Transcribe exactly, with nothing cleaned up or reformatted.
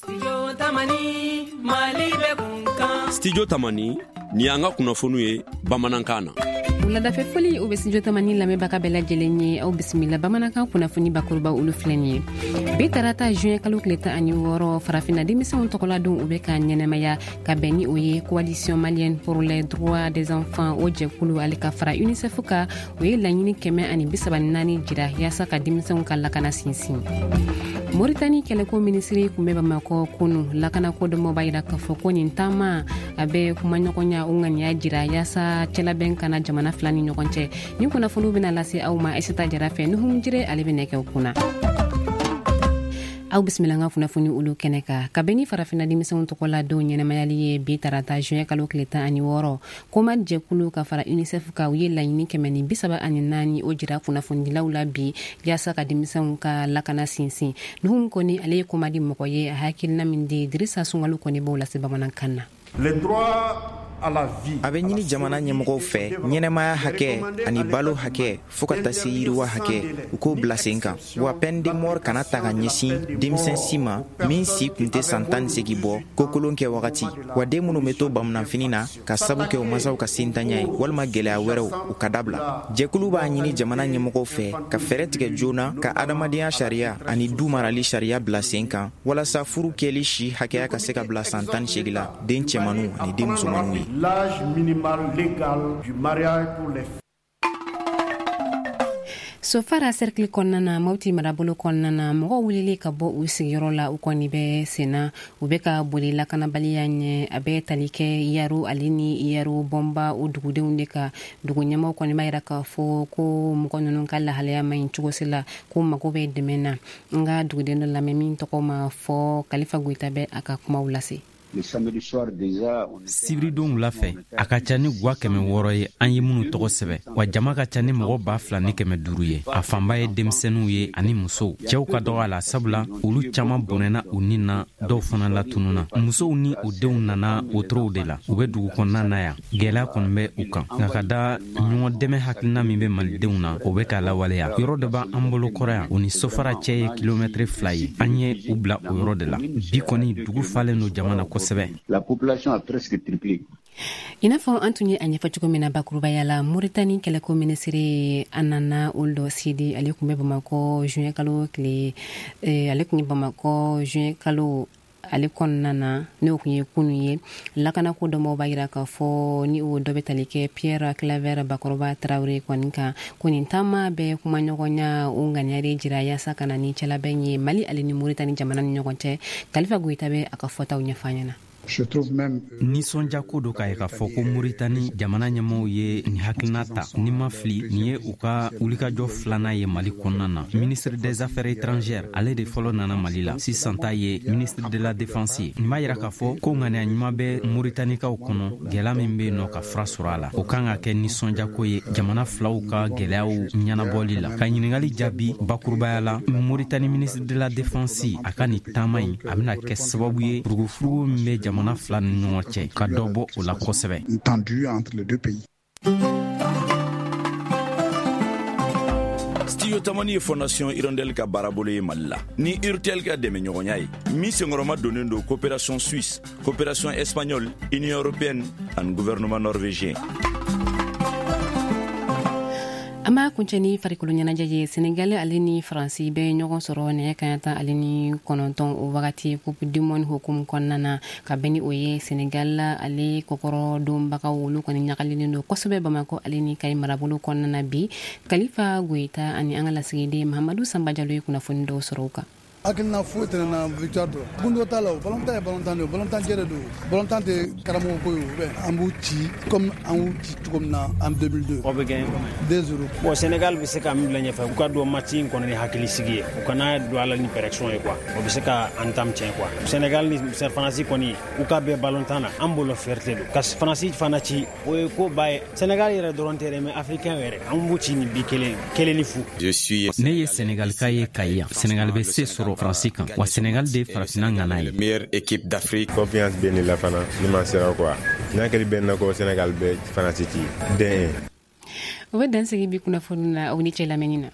Studio Tamani, Mali bɛ kun kan. Studio Tamani, ni y'an ka kunnafoniw ye bamanankan na. Wuladafɛ foli, o bɛ Studio Tamani lamɛnbaga bɛɛ lajɛlen ye. Aw bisimila bamanankan kunnafoni bakuruba, olu filɛ nin ye. Bi tarata, juin kalo tile tan ani wɔɔrɔ, farafinna denmisɛnw tɔgɔladon, u bɛ ka ɲɛnɛmaya ka bɛn ni o ye. Coalition malienne pour les droits des enfants, o jɛkulu, ale ka fara UNICEF ka, o ye laɲini kɛmɛ ani bisaba ni naani jira yaasa ka denmisɛnw ka lakana sinsin. Moritani kɛlɛko minisiri kun bɛ Bamakɔ kunu. Lakanako dɔnbaaw b'a yira k'a fɔ ko nin taama a bɛ kumaɲɔgɔnya, o ŋaniya jira yaasa cɛlabɛn kana jamana fila ni ɲɔgɔn cɛ. Nin kunnafoniw bɛna lase aw ma Aisata Jara fɛ. Nuhum Jire, ale bɛ nɛgɛw kunna. Aw bisimila an ka kunnafoni olu kɛnɛ kan. Ka bɛn ni farafinna denmisɛnw tɔgɔ la don ɲɛnamayali ye bi tarata, juin kalo tile tan ani wɔɔrɔ, COMAD jɛkulu ka fara UNICEF ka, u ye laɲini kɛmɛ ni bisaba ani naani o jira kunnafonidilaw la bi yaasa ka denmisɛnw ka lakana sinsin. Nuhum kɔni, ale ye COMAD mɔgɔ ye. A hakilina min di, Dirisa Sungalu kɔni b'o lase bamanankan na. Les droits à la vie. A bɛ ɲini jamana ɲɛmɔgɔw fɛ, ɲɛnɛmaya hakɛ ani balo hakɛ, fɔɔ ka taa se yiriwa hakɛ, u k'o bila sen kan, wa peine de mort kana ta ka ɲɛsin denmisɛn si ma min si kun tɛ san tan ni segi bɔ kokolon kɛ wagati, wa den minnu bɛ to bamunanfini na ka sabu kɛ u masaw ka sentanya ye walima gwɛlɛya wɛrɛw, u ka dabila. Jɛkulu b'a ɲini jamana ɲɛmɔgɔw fɛ ka fɛɛrɛ tigɛ joona ka adamadenya sariya ani du marali sariya bila sen kan, walasa furu kɛli si hakɛya ka se ka bila san tan ni segi la den cɛmaniw ani den musomaniw ye. L'âge minimal légal du mariage pour les Sofara cercle kɔnɔna na, Mɔti marabolo kɔnɔna na, mɔgɔw wulili ka bɔ u sigiyɔrɔ la, u kɔni bɛ senna, u bɛ ka boli lakanabaliya ɲɛ. A bɛ tali kɛ Yaro ale ni Yaro Bɔnba, o dugudenw de ka. Dugu ɲɛmaw kɔni b'a yira k'a fɔ ko mɔgɔ ninnu ka lahalaya man ɲi cogo si la, ko mago bɛ dɛmɛ na. N ka duguden dɔ lamɛn min tɔgɔ ma fɔ, Kalifa Goyita bɛ a ka kumaw lase. Sibiridon wula fɛ, a ka ca ni gwa kɛmɛ wɔɔrɔ ye an ye minnu tɔgɔ sɛbɛ, wa jama ka ca ni mɔgɔ ba fila ni kɛmɛ duuru ye. A fanba ye denmisɛnninw ye ani musow. Cɛw ka dɔgɔ a la, sabula olu caaman bɔnɛna u nin na, dɔw fana latununa. Musow ni u denw nana wotorow de la, u bɛ dugu kɔnɔna na yan. Gwɛlɛya kɔni bɛ u kan, nka ka da ɲɔgɔn dɛmɛ hakilina min bɛ malidenw na, o bɛ k'a lawaleya. Yɔrɔ dɔ b'an bolo kɔrɔ yan, o ni Sofara cɛ ye kilomɛtiri fila ye. An ye u bila o yɔrɔ de la. Bi kɔni, dugu falen don jama na kosɛbɛ. La population a presque triplé. I n'a fɔ an tun ye a ɲɛfɔ cogo min na bakurubaya la, Moritani kɛlɛko minisiri Anana Ould Sidi, ale tun bɛ Bamakɔ juin kalo tile, ale tun ye Bamakɔ juin kalo ale kɔnɔna na, n'o tun ye kunu ye. Lakanako dɔnbaw b'a yira k'a fɔ ni o dɔ bɛ tali kɛ Pierre Claver Bakɔrɔba Tarawele kɔni kan, ko nin taama bɛ kumaɲɔgɔnya, o ŋaniya de jira yaasa ka na ni cɛlabɛn ye Mali ale ni Moritani jamana ni ɲɔgɔn cɛ. Kalifa Goyita bɛ a ka fɔtaw ɲɛfɔ an ɲɛna. Nisɔnjako do k'a ye k'a fɔ ko Moritani jamana ɲɛmɔgɔw ye nin hakilina ta. Ni ma fili, nin ye u ka wulikajɔ filanan ye Mali kɔnɔna na. Ministre des Affaires étrangères, ale de fɔlɔ nana Mali la, sisan ta ye ministre de la Défense ye. Nin b'a yira k'a fɔ ko ŋaniya ɲuman bɛ Moritanikaw kɔnɔ, gwɛlɛya min be nɔ, ka fura sɔrɔ a la. O kan ka kɛ nisɔnjako ye jamana filaw ka gwɛlɛyaw ɲɛnabɔli la. Ka ɲiningali jaabi bakurubaya la, Moritani ministre de la Défense, a ka nin taama ɲi, a bɛna kɛ sababu ye furugufurugu min bɛ jamana fila ni ɲɔgɔn cɛ, ka dɔ bɔ o la kosɛbɛ. Studio Tamani ye Fondation Hirondelle ka baarabolo ye Mali la ni Urtel ka dɛmɛɲɔgɔnya ye, min senkɔrɔma donnen don Coopération suisse, Coopération espagnole, Union européenne ani gouvernement norvégien. An b'a kuncɛ ni farikolo ɲɛnajɛ ye. Senegal ale ni Faransi bɛ ɲɔgɔn sɔrɔ nɛgɛ kaɲa tan ale ni kɔnɔntɔn o wagati, Coupe du monde hukumu kɔnɔna na. Ka bɛn ni o ye, Senegal ale kɔkɔrɔ donbagaw, olu kɔni ɲagalilen don kosɛbɛ Bamakɔ ale ni Kayi marabolo kɔnɔna na bi. Kalifa Goyita ani an ka lasigiden Mahamadu Sanba Jalo ye kunnafoni dɔw sɔrɔ o kan. Hakilina foyi tɛ na, victoire dɔrɔn. Gundo t'a la, o balontan ye balontan de ye, balontan jɛrɛ don, balontan tɛ karamɔgɔ ko ye. O an b'u ci comme an y'u ci cogo min na en deux mille deux. Aw bɛ gagner deux zéro. Bon, Sénégal bɛ se ka min bila ɲɛfɛ, u ka don match in kɔnɔ ni hakili sigi ye, u kana don a la ni pression ye quoi, o bɛ se ka entame tiɲɛ quoi. Sénégal ni Faransi kɔni, u ka bɛn balontan na, an bolo fierté don ka Faransi fana ci, o ye ko ba ye. Sénégal yɛrɛ dɔrɔn tɛ dɛ, mais africain yɛrɛ, an b'u ci ni bi kelen kelen ni fu. Ne ye Sénégalika ye Kayi yan. Sénégal bɛ se sɔrɔ Faransi kan, wa Sénégal de ye farafinna ŋana ye. Meilleure équipe d'Afrique. Confiance bɛ ne la fana, ni ma sera quoi, n'a kɛli bɛ na ko Sénégal bɛ Faransi ci den. O bɛ dan sigi bi kunnafoni na. Aw ni cɛ lamɛnni na.